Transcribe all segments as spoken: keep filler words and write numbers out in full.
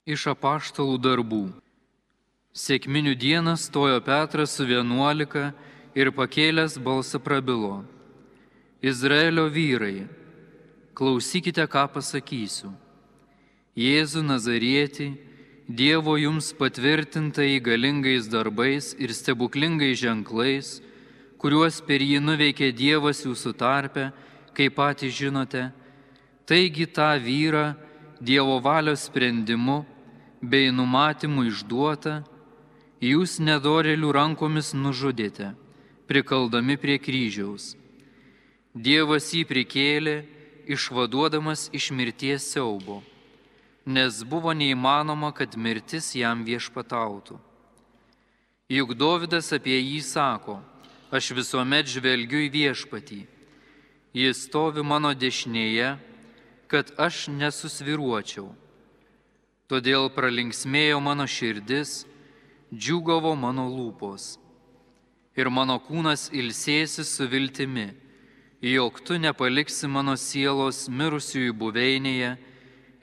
Iš apaštalų darbų. Sekminių dieną stojo Petras su vienuolika ir pakėlęs balsą prabilo: Izraelio vyrai, klausykite, ką pasakysiu. Jėzų Nazarietį, Dievo jums patvirtintai galingais darbais ir stebuklingais ženklais, kuriuos per jį nuveikė Dievas jūsų tarpe, kaip patys žinote, taigi tą vyrą Dievo valios sprendimu bei numatymu išduota, jūs nedorėlių rankomis nužudėte, prikaldami prie kryžiaus. Dievas jį prikėlė, išvaduodamas iš mirties siaubo, nes buvo neįmanoma, kad mirtis jam viešpatautų. Juk Dovydas apie jį sako: aš visuomet žvelgiu į viešpatį, jis stovi mano dešinėje, kad aš nesusviruočiau. Todėl pralinksmėjo mano širdis, džiūgavo mano lūpos. Ir mano kūnas ilsėsis su viltimi, jog tu nepaliksi mano sielos mirusiųjų buveinėje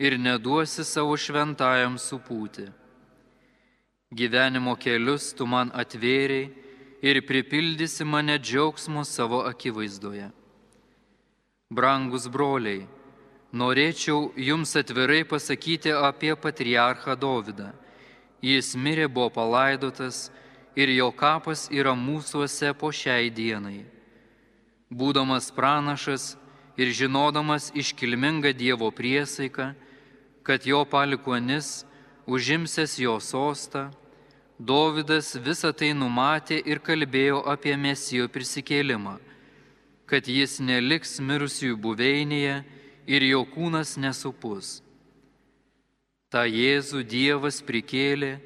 ir neduosi savo šventajam supūti. Gyvenimo kelius tu man atvėrei ir pripildysi mane džiaugsmo savo akivaizdoje. Brangus broliai, norėčiau jums atvirai pasakyti apie patriarchą Dovydą. Jis mirė, buvo palaidotas ir jo kapas yra mūsuose po šiai dienai. Būdamas pranašas ir žinodamas iškilmingą Dievo priesaiką, kad jo palikuonis užimsęs jo sostą, Dovydas visą tai numatė ir kalbėjo apie Mesijo prisikėlimą, kad jis neliks mirusiųjų buveinėje ir jo kūnas nesupus. Ta Jėzų Dievas prikėlė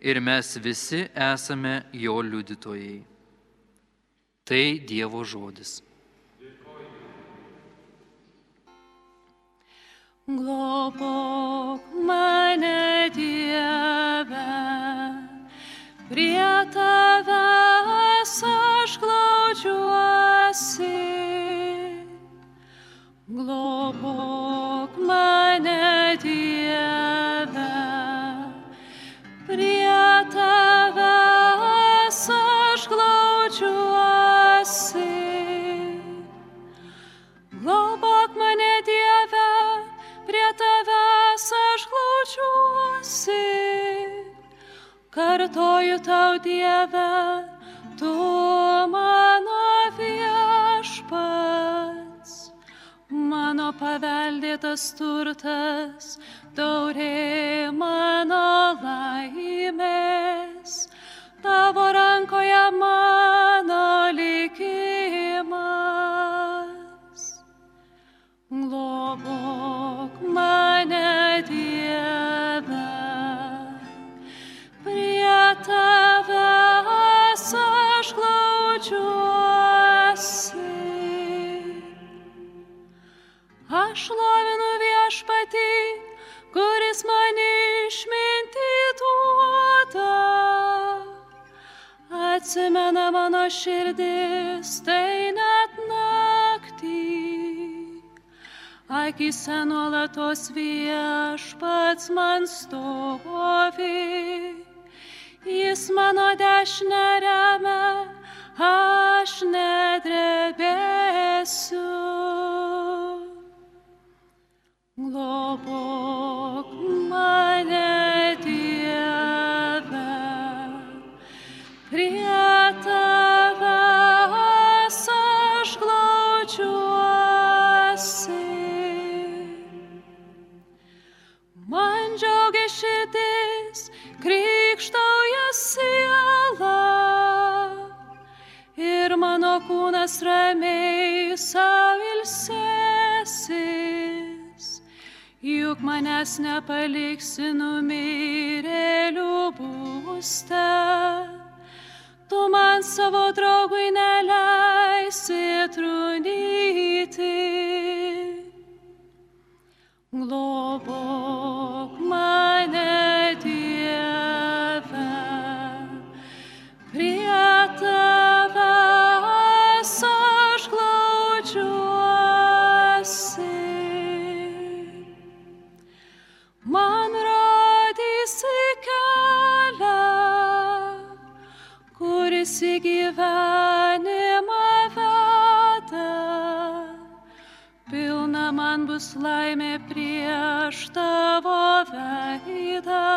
ir mes visi esame jo liudytojai. Tai Dievo žodis. Globok mane, Dieve, prie tavęs aš glaudžiuosi. Globok mane, Dieve, prie tavęs aš glaudžiuosi. Globok mane, Dieve, prie tavęs aš glaudžiuosi. Kartoju tau, Dieve, tu mano viešpats, mano paveldėtas turtas, taurė mano laimės, tavo rankoje mano likimas. Globok mane, Dieve, prie tavęs aš glaudžiuosi. Aš šlovinu viešpatį, kuris man išmintį duoda. Atsimena mano širdis, tai net naktį. Akyse nuolatos viešpats man stovi. Jis mano dešinę remia, aš nedrebėsiu. Globok mane, Dieve, prie tavęs aš glaudžiuosi. Man džiaugia širdis, krykštauja siela, ir mano kūnas ramiai sau ilsėsis. Juk manęs nepaliksi numirėlių būste, tu man savo draugui neleisi trūnyti. Globok mane, Dieve, prie tavęs aš glaudžiuosi. Man rodė laimė prieš tavo veidą.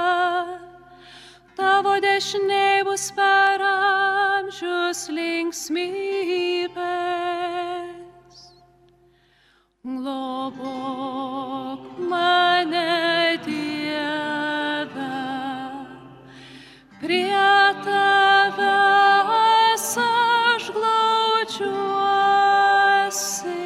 Tavo dešinėj bus per amžius linksmybės. Globok mane, Dieve, prie tavęs aš glaudžiuosi.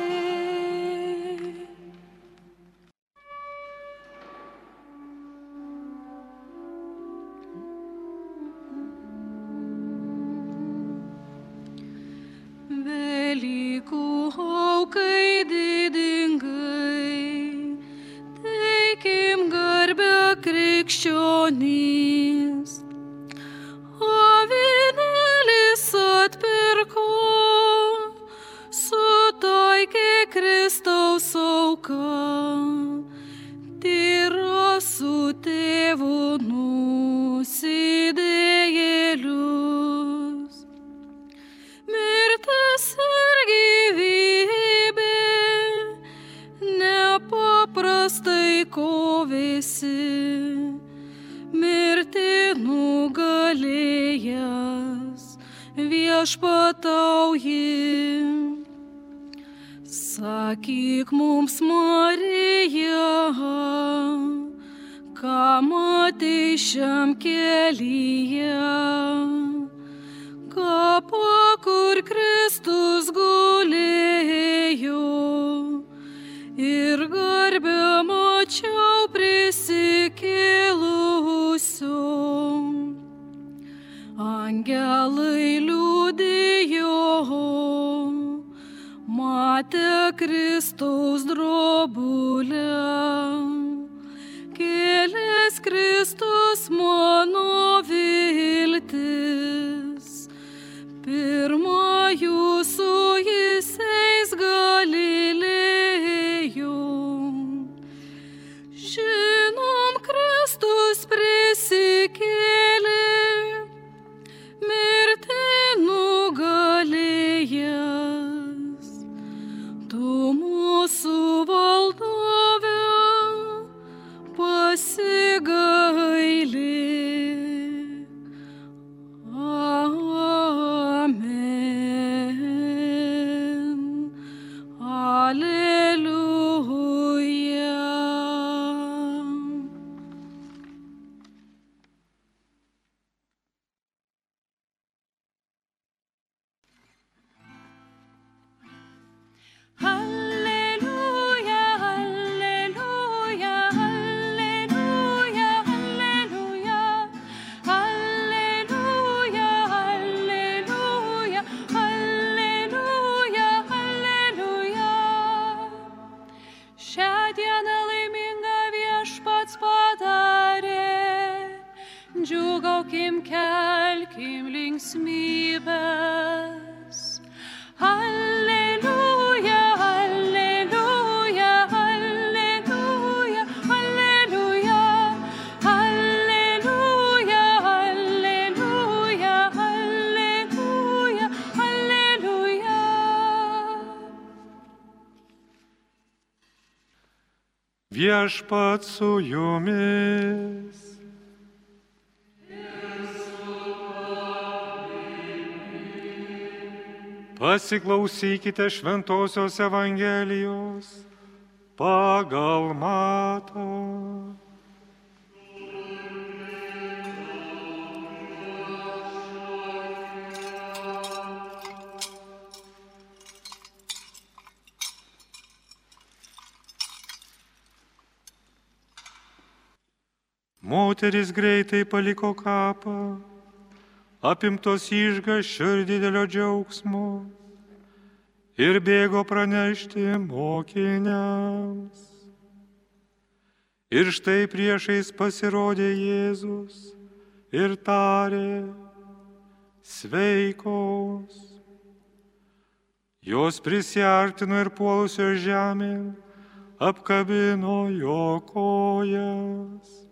Velykų aukai didingai, teikim garbę krikščionys. Avinėlis atpirko, sutaikė Kristaus auką, tyra su tėvu nusidėjėlius. Mirtis ir gyvybė nepaprastai kovėsi, mirtį nugalėjęs viešpatauji. Sakyk mums, Marija, ką matei šiam kelyje, kapą, kur Kristus gulėjo, ir garbę mačiau prisikėlusio. Angelai liudijo, matė Kristaus drobulę. Kėlęs Kristus mano viltis, pirmąjų su jais eis Galilėjų. Žinom, Kristus prisikėlė, mirtį nugalėjęs. Tu mūsų valdove pasigailėk. Amen. Alleluja. Alleluja, alleluja, alleluja, alleluja. Alleluja, alleluja, alleluja, alleluja. Šią dieną laimingą Viešpats padarė, džiūgaukim, kelkim linksmybes. Alleluja, alleluja, alleluja, alleluja. Alleluja, alleluja, alleluja, alleluja. Viešpats su jumis. Pasiklausykite Šventosios Evangelijos pagal Matą. Moteris greitai paliko kapą, apimtos išgąsčio ir didelio džiaugsmo, ir bėgo pranešti mokiniams. Ir štai priešais pasirodė Jėzus ir tarė: sveikos. Jos prisiartino ir puolusios žemėn apkabino jo kojas.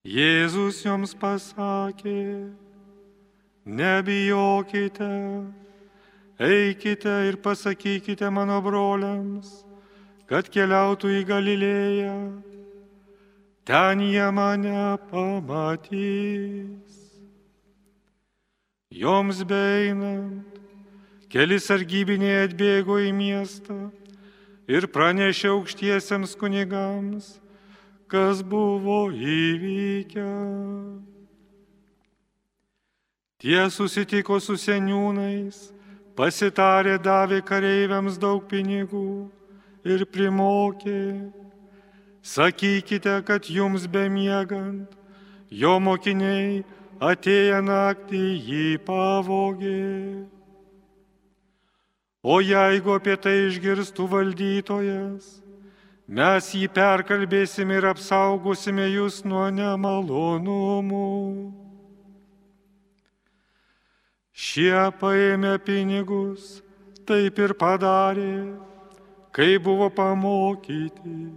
Jėzus joms pasakė: nebijokite, eikite ir pasakykite mano broliams, kad keliautų į Galilėją. Ten jie mane pamatys. Joms beeinant, keli sargybiniai atbėgo į miestą ir pranešė aukštiesiems kunigams, kas buvo įvykę. Tie susitiko su seniūnais, pasitarė, davė kareiviams daug pinigų ir primokė: sakykite, kad jums bemiegant, jo mokiniai atėję naktį jį pavogė. O jeigu apie tai išgirstų valdytojas, mes jį perkalbėsime ir apsaugosime jūs nuo nemalonumų. Šie paėmė pinigus, taip ir padarė, kai buvo pamokyti.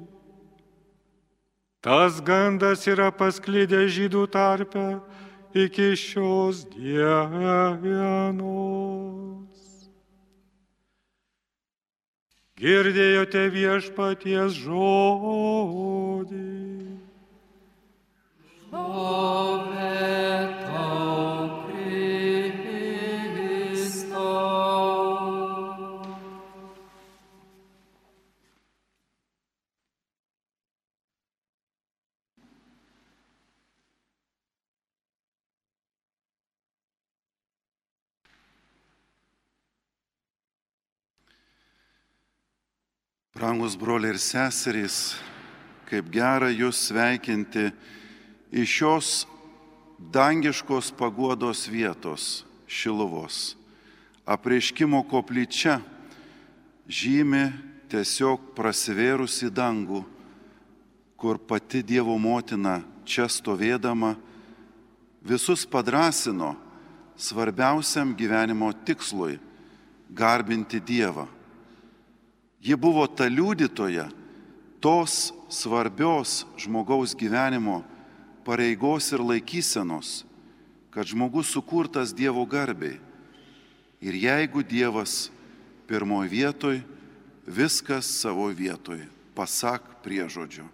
Tas gandas yra pasklidęs žydų tarpe iki šios dienos. Girdėjote viešpaties žodį. Brangus broliai ir seserys, kaip gera jūs sveikinti iš šios dangiškos paguodos vietos Šiluvos. Apreiškimo koplyčia žymi tiesiog prasivėrusi dangų, kur pati Dievo motina čia stovėdama visus padrasino svarbiausiam gyvenimo tikslui - garbinti Dievą. Ji buvo ta liudytoja tos svarbios žmogaus gyvenimo pareigos ir laikysenos, kad žmogus sukurtas Dievo garbei. Ir jeigu Dievas pirmoje vietoje, viskas savo vietoje, pasak priežodžio.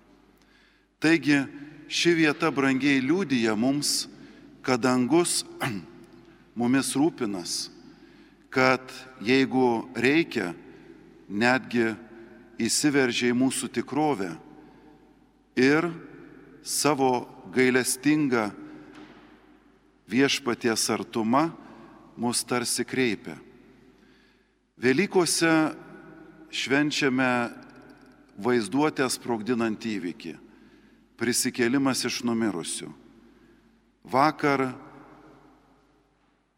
Taigi ši vieta brangiai liudija mums, kad dangus mumis rūpinas, kad jeigu reikia, netgi įsiveržia į mūsų tikrovę ir savo gailestingą viešpaties artumą mus tarsi kreipia. Velykose švenčiame vaizduotę sprogdinant įvykį - prisikėlimas iš numirusių. Vakar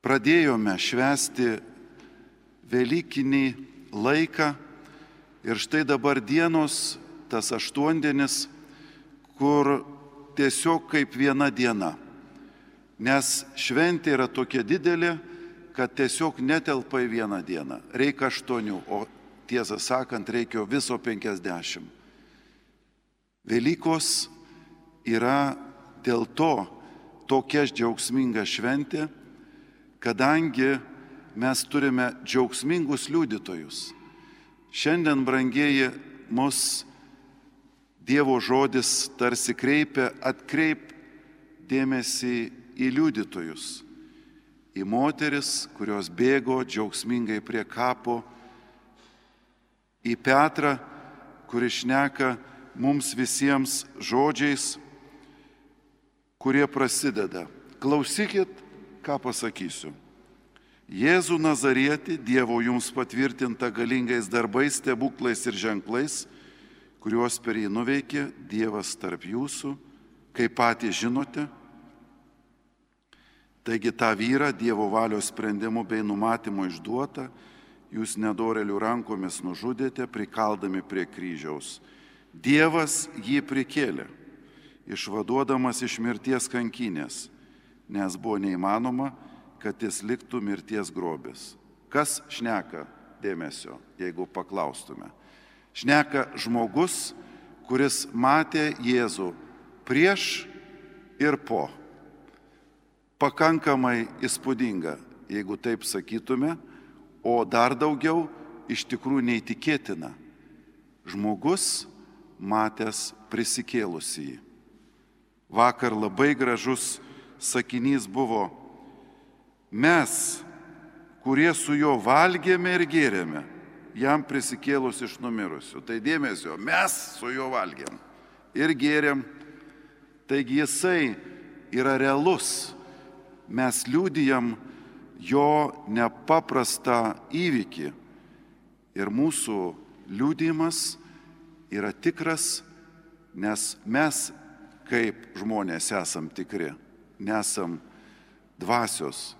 pradėjome švęsti velykinį laiką ir štai dabar dienos, tas aštuondienis, kur tiesiog kaip viena diena. Nes šventė yra tokia didelė, kad tiesiog netelpa į vieną dieną. Reikia aštuonių, o tiesą sakant, reikia viso penkiasdešimt. Velykos yra dėl to tokia džiaugsminga šventė, kadangi mes turime džiaugsmingus liudytojus. Šiandien, brangieji, mus Dievo žodis tarsi kreipia, atkreip dėmesį į liudytojus, į moteris, kurios bėgo džiaugsmingai prie kapo, į Petrą, kuris šneka mums visiems žodžiais, kurie prasideda. Klausykit, ką pasakysiu. Jėzų Nazarietį, Dievo jums patvirtinta galingais darbais, stebuklais ir ženklais, kuriuos per jį nuveikė Dievas tarp jūsų, kaip patys žinote. Taigi tą vyrą Dievo valios sprendimų bei numatymų išduota, jūs nedorelių rankomis nužudėte, prikaldami prie kryžiaus. Dievas jį prikėlė, išvaduodamas iš mirties kankinės, nes buvo neįmanoma, kad jis liktų mirties grobis. Kas šneka dėmesio, jeigu paklaustume? Šneka žmogus, kuris matė Jėzų prieš ir po. Pakankamai įspūdinga, jeigu taip sakytume, o dar daugiau iš tikrųjų neįtikėtina. žmogus matęs prisikėlusįjį. Vakar labai gražus sakinys buvo: mes, kurie su juo valgėme ir gėrėme, jam prisikėlus iš numirusių. Tai dėmesio, mes su juo valgėm ir gėrėm, taigi jisai yra realus. Mes liudijam jo nepaprastą įvykį ir mūsų liudijimas yra tikras, nes mes kaip žmonės esam tikri, nesam dvasios.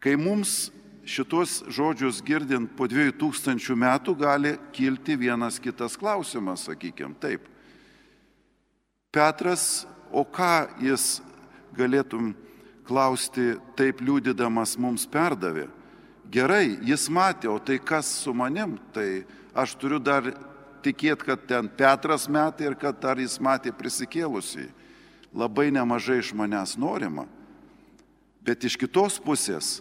Kai mums šitos žodžius girdint po dviejų tūkstančių metų gali kilti vienas kitas klausimas, sakykime, taip. Petras, o ką jis galėtum klausti, taip liudydamas mums perdavė? Gerai, jis matė, o tai kas su manim? Tai aš turiu dar tikėti, kad ten Petras matė ir kad dar jis matė prisikėlusį. Labai nemažai iš manęs norima. Bet iš kitos pusės,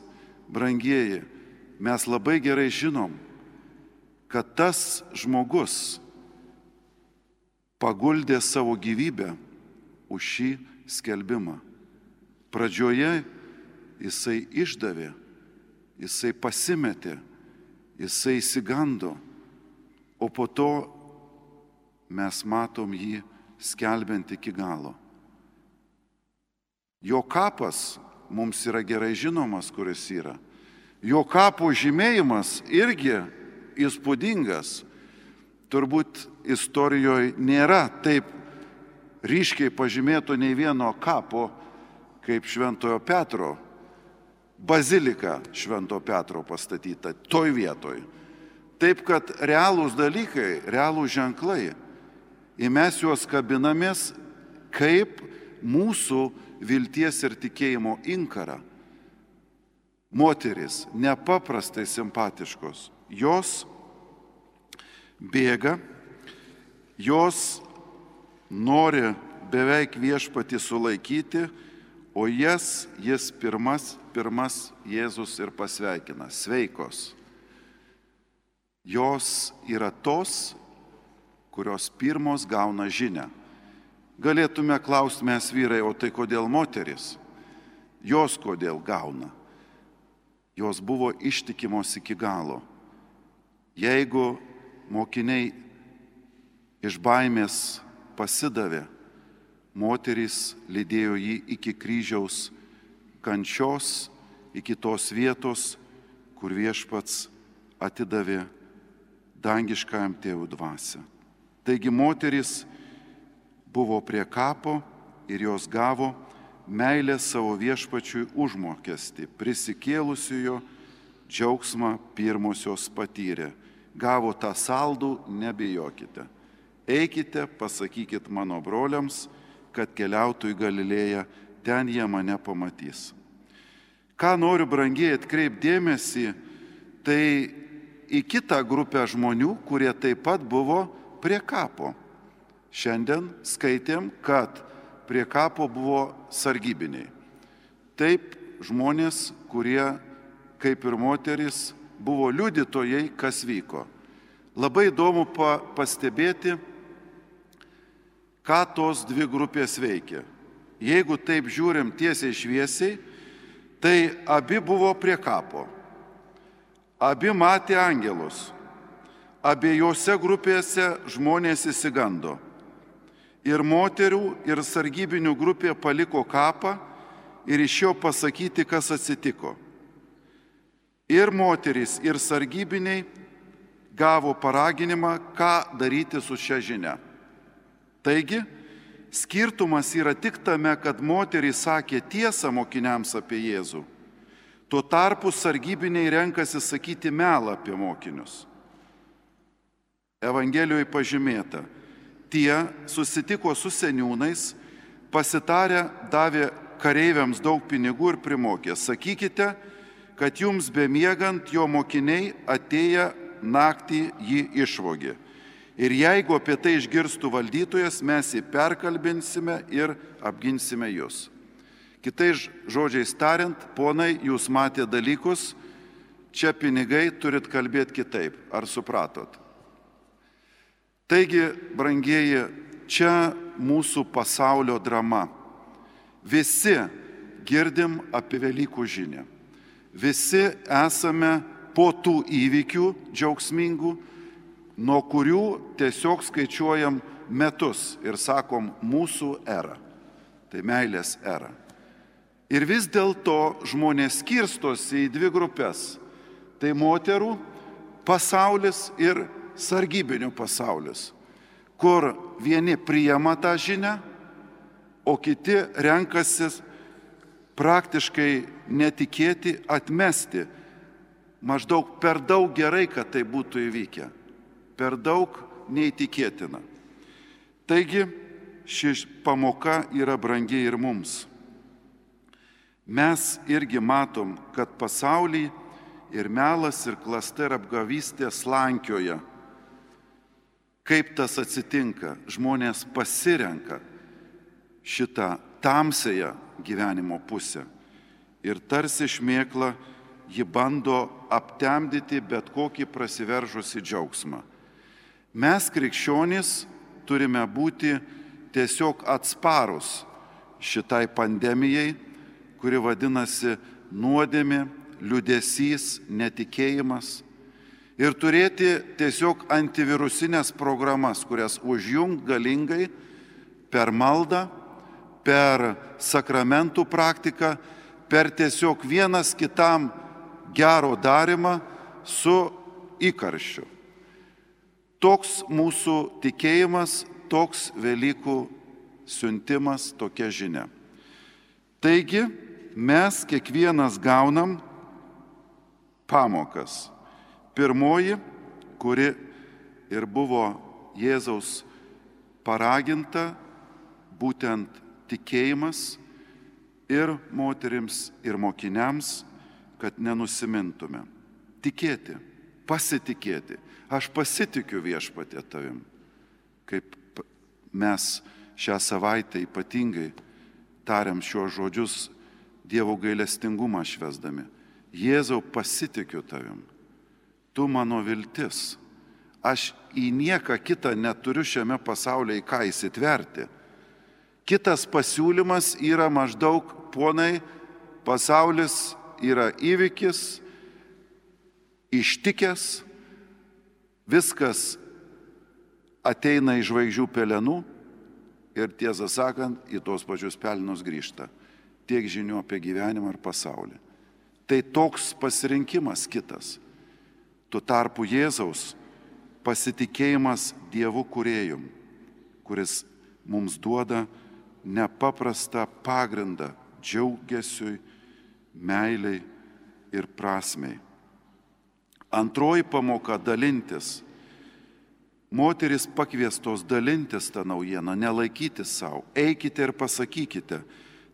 brangieji, mes labai gerai žinom, kad tas žmogus paguldė savo gyvybę už šį skelbimą. Pradžioje jisai išdavė, jisai pasimetė, jisai išsigando, o po to mes matom jį skelbiant iki galo. Jo kapas mums yra gerai žinomas, kuris yra. Jo kapo žymėjimas irgi įspūdingas. Turbūt istorijoje nėra taip ryškiai pažymėto nei vieno kapo kaip Šventojo Petro. Bazilika Švento Petro pastatyta toj vietoj. Taip, kad realūs dalykai, realūs ženklai, ir mes juos kabinamės kaip mūsų vilties ir tikėjimo inkarą. Moterys nepaprastai simpatiškos. Jos bėga, jos nori beveik viešpatį sulaikyti, o jas jis pirmas, pirmas Jėzus ir pasveikina. Sveikos. Jos yra tos, kurios pirmos gauna žinią. Galėtume klausti mes vyrai, o tai kodėl moteris? Jos kodėl gauna? Jos buvo ištikimos iki galo. Jeigu mokiniai iš baimės pasidavė, moterys lydėjo jį iki kryžiaus kančios, iki tos vietos, kur viešpats atidavė dangiškajam tėvų dvasią. Taigi moterys buvo prie kapo ir jos gavo meilę savo viešpačiui užmokestį, prisikėlusiojo džiaugsmą pirmosios patyrė. Gavo tą saldų, nebijokite. Eikite, pasakykit mano broliams, kad keliautų į Galilėją, ten jie mane pamatys. Ką noriu, brangiai, atkreipdėmėsi, tai į kitą grupę žmonių, kurie taip pat buvo prie kapo. Šiandien skaitėm, kad prie kapo buvo sargybiniai. Taip, žmonės, kurie, kaip ir moteris, buvo liudytojai, kas vyko. Labai įdomu pa- pastebėti, ką tos dvi grupės veikia. Jeigu taip žiūrim tiesiai šviesiai, tai abi buvo prie kapo. Abi matė angelus. Abiejose grupėse žmonės išsigando. Ir moterų, ir sargybinių grupė paliko kapą ir išėjo pasakyti, kas atsitiko. Ir moterys, ir sargybiniai gavo paraginimą, ką daryti su šia žinia. Taigi, skirtumas yra tik tame, kad moterys sakė tiesą mokiniams apie Jėzų. Tuo tarpu sargybiniai renkasi sakyti melą apie mokinius. Evangelijoje pažymėta, tie susitiko su seniūnais, pasitarę davė kareiviams daug pinigų ir primokė. Sakykite, kad jums bemiegant jo mokiniai atėję naktį jį išvogė. Ir jeigu apie tai išgirstų valdytojas, mes jį perkalbinsime ir apginsime jūs. Kitais žodžiais tariant, ponai, jūs matė dalykus, čia pinigai, turit kalbėti kitaip. Ar supratot? Taigi, brangieji, čia mūsų pasaulio drama. Visi girdim apie Velykų žinią. Visi esame po tų įvykių džiaugsmingų, nuo kurių tiesiog skaičiuojam metus ir sakom mūsų era. Tai meilės era. Ir vis dėlto žmonės skirstosi į dvi grupės. Tai moterų pasaulis ir sargybinių pasaulis, kur vieni priima tą žinią, o kiti renkasi praktiškai netikėti, atmesti. Maždaug per daug gerai, kad tai būtų įvykę. Per daug neįtikėtina. Taigi, ši pamoka yra brangi ir mums. Mes irgi matom, kad pasaulyje ir melas, ir klasta, ir apgavystė slankioja. Kaip tas atsitinka? Žmonės pasirenka šitą tamsąją gyvenimo pusę. Ir tarsi šmėkla ji bando aptemdyti bet kokį prasiveržusį džiaugsmą. Mes, krikščionys, turime būti tiesiog atsparus šitai pandemijai, kuri vadinasi nuodėmė, liūdesys, netikėjimas. Ir turėti tiesiog antivirusinės programas, kurias užjungt galingai per maldą, per sakramentų praktiką, per tiesiog vienas kitam gero darimą su įkarščiu. Toks mūsų tikėjimas, toks Velykų siuntimas, tokia žinia. Taigi mes kiekvienas gaunam pamokas. Pirmoji, kuri ir buvo Jėzaus paraginta, būtent tikėjimas ir moterims, ir mokiniams, kad nenusimintume. Tikėti, pasitikėti. Aš pasitikiu Viešpatie tavim. Kaip mes šią savaitę ypatingai tariam šiuos žodžius Dievo gailestingumą švęsdami. Jėzau, pasitikiu tavim. Tu mano viltis. Aš į nieką kitą neturiu šiame pasaulyje į ką įsitverti. Kitas pasiūlymas yra maždaug, ponai, pasaulis yra įvykis, ištikęs, viskas ateina į žvaigždžių pelenų ir tiesą sakant, į tos pačius pelenus grįžta. Tiek žinių apie gyvenimą ir pasaulį. Tai toks pasirinkimas kitas. Tuo tarpu Jėzaus pasitikėjimas Dievu kūrėjum, kuris mums duoda nepaprastą pagrindą džiaugesiui, meiliai ir prasmei. Antroji pamoka - dalintis. Moteris pakviestos dalintis tą naujieną, nelaikyti savo. Eikite ir pasakykite.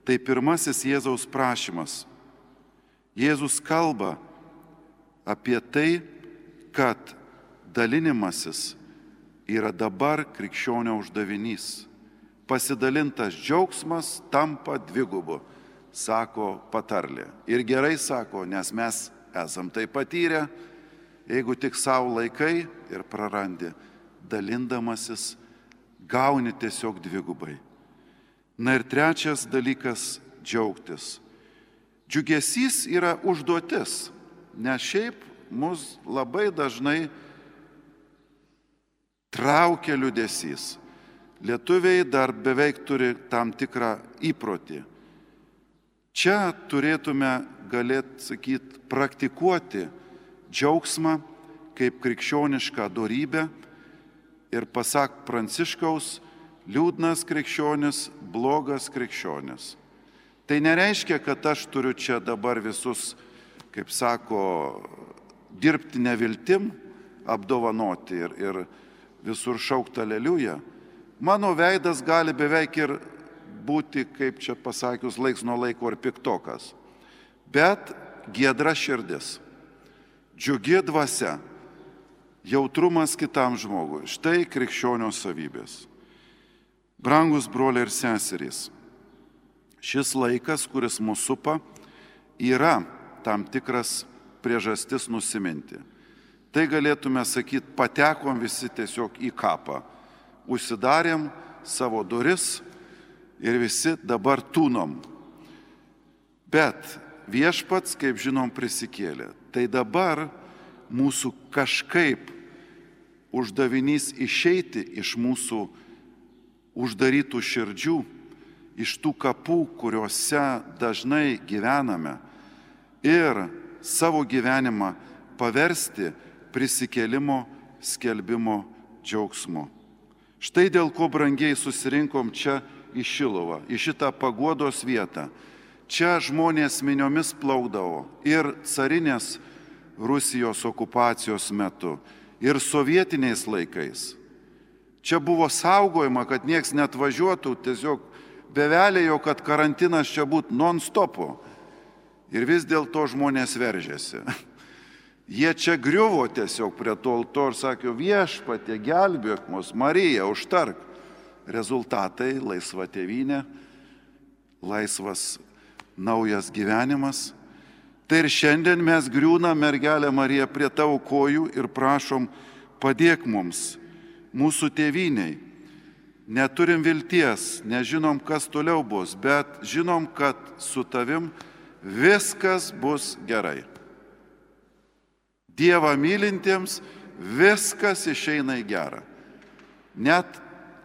Tai pirmasis Jėzaus prašymas. Jėzus kalba apie tai, kad dalinimasis yra dabar krikščionio uždavinys. Pasidalintas džiaugsmas tampa dvigubu, sako patarlė. Ir gerai sako, nes mes esam tai patyrę, jeigu tik savo laikai ir prarandi, dalindamasis gauni tiesiog dvigubai. Na ir trečias dalykas - džiaugtis. Džiugesys yra užduotis, nes šiaip mus labai dažnai traukia liūdesys. Lietuviai dar beveik turi tam tikrą įprotį. Čia turėtume, galėt sakyti, praktikuoti džiaugsmą kaip krikščionišką dorybę ir pasak Pranciškaus, liūdnas krikščionis, blogas krikščionis. Tai nereiškia, kad aš turiu čia dabar visus, kaip sako, dirbti neviltim, apdovanoti ir, ir visur šaukti aleliuja. Mano veidas gali beveik ir būti, kaip čia pasakius, laiks nuo laiko ar piktokas. Bet giedra širdis, džiugi dvasia, jautrumas kitam žmogui. Štai krikščionio savybės. Brangus broliai ir seserys, šis laikas, kuris mūsų supa, yra tam tikras priežastis nusiminti. Tai galėtume sakyti, patekom visi tiesiog į kapą. Užsidarėm savo duris ir visi dabar tūnom. Bet viešpats, kaip žinom, prisikėlė. Tai dabar mūsų kažkaip uždavinys išeiti iš mūsų uždarytų širdžių, iš tų kapų, kuriuose dažnai gyvename, ir savo gyvenimą paversti prisikėlimo skelbimo džiaugsmu. Štai dėl ko brangiai susirinkom čia į Šiluvą, į šitą paguodos vietą. Čia žmonės miniomis plaukdavo ir carinės Rusijos okupacijos metu, ir sovietiniais laikais. Čia buvo saugojama, kad nieks net važiuotų, tiesiog bevelėjo, kad karantinas čia būtų non-stopu. Ir vis dėlto žmonės veržėsi. Jie čia griuvo tiesiog prie to altoriaus ir sakė, viešpatie, gelbėk mus, Marija, užtark. Rezultatai - laisva tėvynė, laisvas naujas gyvenimas. Tai ir šiandien mes griūna, mergelė Marija, prie tavo kojų ir prašom, padėk mums, mūsų tėvyniai. Neturim vilties, nežinom, kas toliau bus, bet žinom, kad su tavim viskas bus gerai. Dievą mylintiems viskas išeina į gerą. Net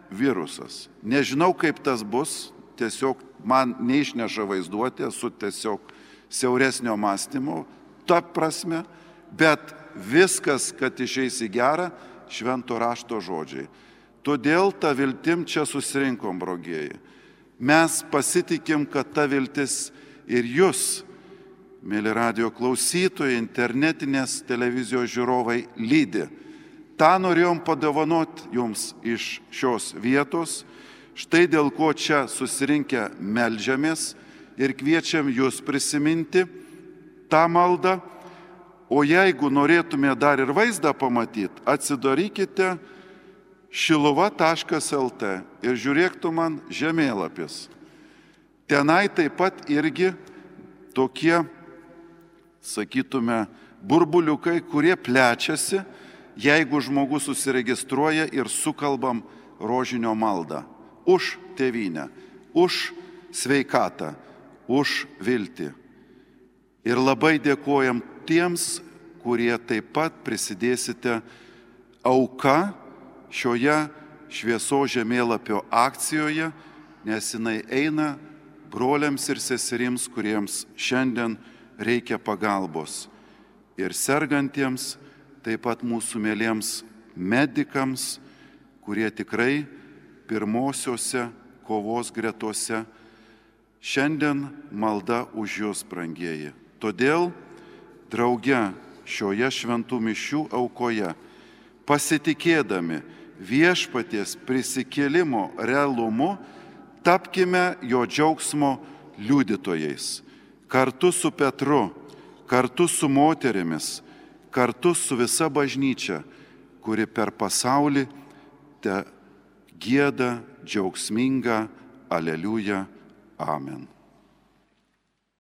virusas. Nežinau, kaip tas bus, tiesiog man neišneša vaizduoti, esu tiesiog siauresnio mąstymo, ta prasme, bet viskas, kad išeis į gerą, švento rašto žodžiai. Todėl tą viltim čia susirinkom, brogieji. Mes pasitikim, kad ta viltis ir jūs, mėly radio klausytojai, internetinės televizijos žiūrovai, lydi. Ta norėjom padovanoti jums iš šios vietos, štai dėl ko čia susirinkę meldžiamės ir kviečiam jūs prisiminti tą maldą, o jeigu norėtume dar ir vaizdą pamatyti, atsidarykite šiluva taškas el tė ir žiūrėktų man žemėlapis. Tenai taip pat irgi tokie, sakytume, burbuliukai, kurie plečiasi, jeigu žmogus susiregistruoja ir sukalbam rožinio maldą. Už tėvynę, už sveikatą, už viltį. Ir labai dėkojam tiems, kurie taip pat prisidėsite auka šioje švieso žemėlapio akcijoje, nes jinai eina broliams ir seserims, kuriems šiandien reikia pagalbos. Ir sergantiems, taip pat mūsų mėliems medikams, kurie tikrai pirmosiose kovos gretose. Šiandien malda už jūs, brangieji. Todėl drauge šioje šventų mišių aukoje, pasitikėdami viešpaties prisikėlimo realumu, tapkime jo džiaugsmo liudytojais. Kartu su Petru, kartu su moterimis, kartu su visa bažnyčia, kuri per pasaulį te gieda džiaugsmingą Aleliuja. Amen.